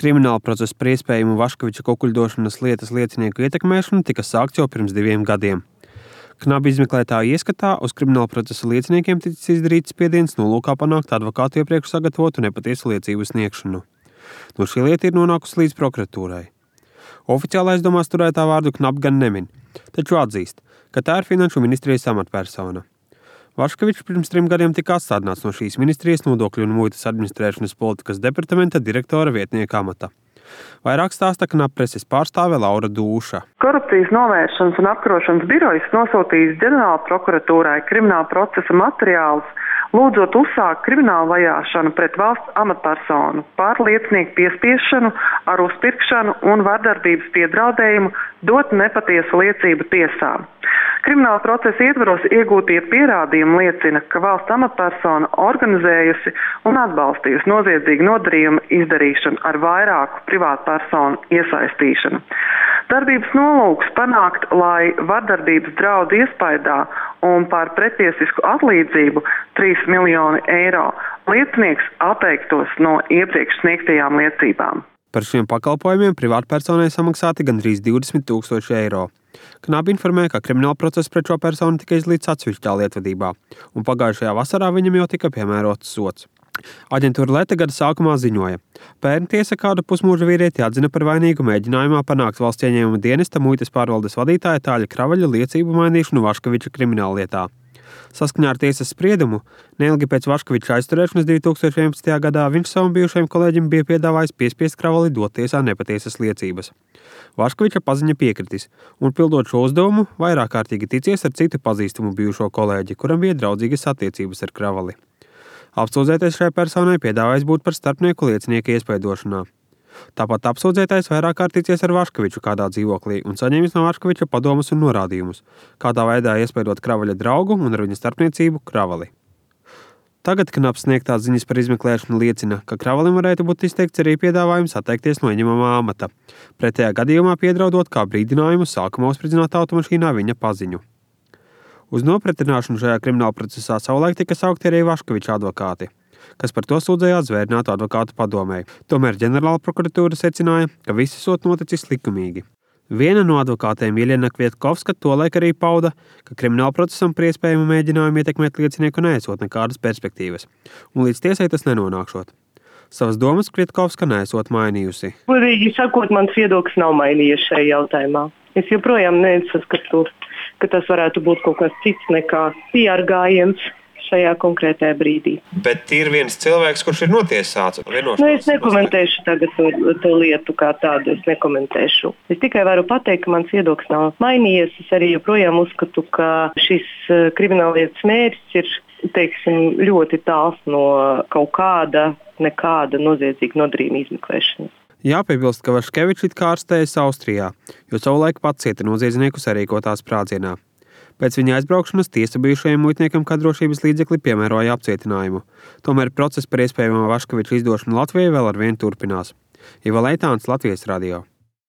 Krimināla procesa par iespējamu Vaškeviča kukuļdošanas lietas liecinieku ietekmēšanu tika sākts jau pirms 2 gadiem. Knabi izmeklētāju ieskatā uz krimināla procesa lieciniekiem ticis izdarīts spiediens nolūkā panākt advokātu iepriekš sagatavotu nepatiesu liecību sniegšanu. No šī lieta ir nonākusi līdz prokuratūrai. Oficiāli aizdomās turētā vārdu Knabi gan nemin, taču atzīst, ka tā ir Finanšu ministrijas amatpersona. Vaškevičs pirms 3 gadiem tika atstādināts no šīs ministrijas nodokļu un muitas administrēšanas politikas departamenta direktora vietnieka amata. Vairāk stāsta Knabi preses pārstāve Laura Dūša. Korupcijas novēršanas un apkarošanas birojas nosūtījis ģenerāla prokuratūrai krimināla procesa materiālus, lūdzot uzsākt kriminālu vajāšanu pret valsts amatpersonu par liecinieku piespiešanu ar uzpirkšanu un vardarbības piedraudējumu dot nepatiesu liecību tiesā. Krimināla procesa ietvaros iegūtie pierādījumi liecina, ka valsts amatpersona organizējusi un atbalstījusi noziedzīgu nodarījumu izdarīšanu ar vairāku privātpersonu iesaistīšanu. Darbības nolūks panākt, lai vardarbības draudu iespaidā un par pretiesisku atlīdzību 3 miljoni eiro liecinieks atteiktos no iepriekš sniegtajām liecībām. Par šiem pakalpojumiem privātpersonai samaksāti gandrīz 20 000 eiro. Knabi informēja, ka krimināla process pret šo personu tika izlīdz atsevišķā lietvedībā, un pagājušajā vasarā viņam jau tika piemērots sods. Aģentūra Leta gada sākumā ziņoja, pērn tiesa kādu pusmūža vīrieti atzina par vainīgu mēģinājumā panākt valsts ieņēmuma dienesta muitas pārvaldes vadītāja Tāļa Kravaļa liecību mainīšanu Vaškeviča krimināllietā. Saskaņā ar tiesas spriedumu, neilgi pēc Vaškeviča aizturēšanas 2011. gadā viņš savam bijušajam kolēģim bija piedāvājis piespiest Kravali dot tiesā nepatiesas liecības. Vaškeviča paziņa piekritis, un pildot šo uzdevumu, vairāk kārtīgi ticies ar citu pazīstamu bijušo kolēģi, kuram bija draudzīgas attiecības ar Kravali. Apsūdzētais šai personai piedāvājis būt par starpnieku liecinieka iespaidošanā. Tāpat apsūdzētais vairāk kārt ticies ar Vaškeviču kādā dzīvoklī un saņēmis no Vaškeviča padomus un norādījumus, kādā veidā iespaidot Kravaļa draugu un ar viņa starpniecību Kravali. Tagad Knabs sniegtās ziņas par izmeklēšanu liecina, ka Kravalim varētu būt izteikts arī piedāvājums atteikties no ieņemamā amata, pretējā gadījumā piedraudot kā brīdinājumu sākumā uzspridzināt automašīnā viņa paziņu. Uz nopratināšanu šajā krimināla procesā savulaik tika saukti arī Vaškeviča advokāti, kas par to sūdzējās Zvērinātu advokātu padomei. Tomēr ģenerāla prokuratūra secināja, ka viss esot noticis likumīgi. Viena no advokātēm Jeļena Kvietkovska tolaik arī pauda, ka krimināla procesam par iespējamu mēģinājumu ietekmēt liecinieku neesot nekādas perspektīvas, un līdz tiesai tas nenonākšot. Savas domas Kvietkovska neesot mainījusi. Godīgi sakot, mans viedoklis nav mainījies šajā jautājumā. Es joprojām nesaskatu, ka tas varētu būt kaut kas cits nekā PR gājiens šajā konkrētajā brīdī. Bet ir viens cilvēks, kurš ir notiesāts. Es nekomentēšu tagad to lietu kā tādu, es nekomentēšu. Es tikai varu pateikt, ka mans viedoklis nav mainījies. Es arī joprojām uzskatu, ka šis krimināllietas mērķis ir, teiksim, ļoti tāls no kaut kāda, nekāda noziedzīga nodarījuma izmeklēšanas. Jāpiebilst, ka Vaškevičs it kā ārstējas Austrijā, jo savulaik pats cieta noziedznieku sarīkotā sprādzienā. Pēc viņa aizbraukšanas tiesa bijušajam muitniekam kā drošības līdzekli piemēroja apcietinājumu. Tomēr process par iespējamo Vaškeviča izdošanu Latvijai vēl arvien turpinās. Iva Leitāns, Latvijas radio.